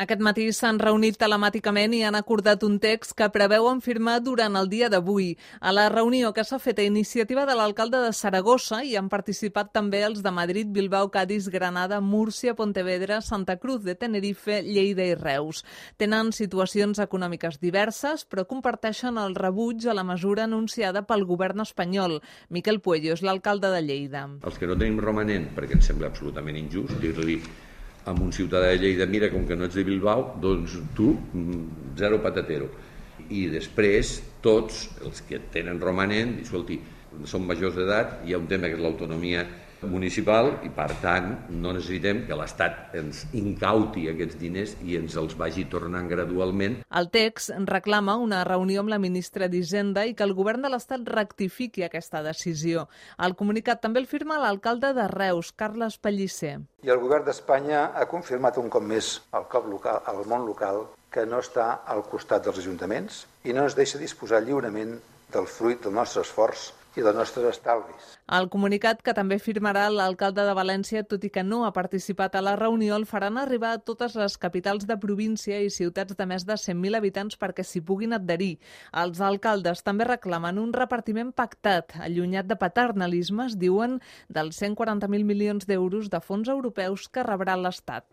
Aquest matí s'han reunit telemàticament i han acordat un text que preveuen firmar durant el dia d'avui. A la reunió que s'ha fet a iniciativa de l'alcalde de Saragossa hi han participat també els de Madrid, Bilbao, Cádiz, Granada, Múrcia, Pontevedra, Santa Cruz de Tenerife, Lleida i Reus. Tenen situacions econòmiques diverses, però comparteixen el rebuig a la mesura anunciada pel govern espanyol. Miquel Puello és l'alcalde de Lleida. Els que no tenim romanent, perquè ens sembla absolutament injust dir-li a un ciutadà de Lleida, mira, com que no ets de Bilbao, doncs tu, zero patatero. I després, tots els que tenen romanent, escolti, són majors d'edat, hi ha un tema que és l'autonomia municipal i, per tant, no necessitem que l'Estat ens incauti aquests diners i ens els vagi tornant gradualment. El text reclama una reunió amb la ministra d'Hisenda i que el govern de l'Estat rectifiqui aquesta decisió. El comunicat també el firma l'alcalde de Reus, Carles Pellicer. I el govern d'Espanya ha confirmat un cop més al món local que no està al costat dels ajuntaments i no ens deixa disposar lliurement del fruit del nostre esforç i dels nostres estalvis. El comunicat, que també firmarà l'alcalde de València, tot i que no ha participat a la reunió, el faran arribar a totes les capitals de província i ciutats de més de 100.000 habitants perquè s'hi puguin adherir. Els alcaldes també reclamen un repartiment pactat, allunyat de paternalismes, diuen, dels 140.000 milions d'euros de fons europeus que rebrà l'Estat.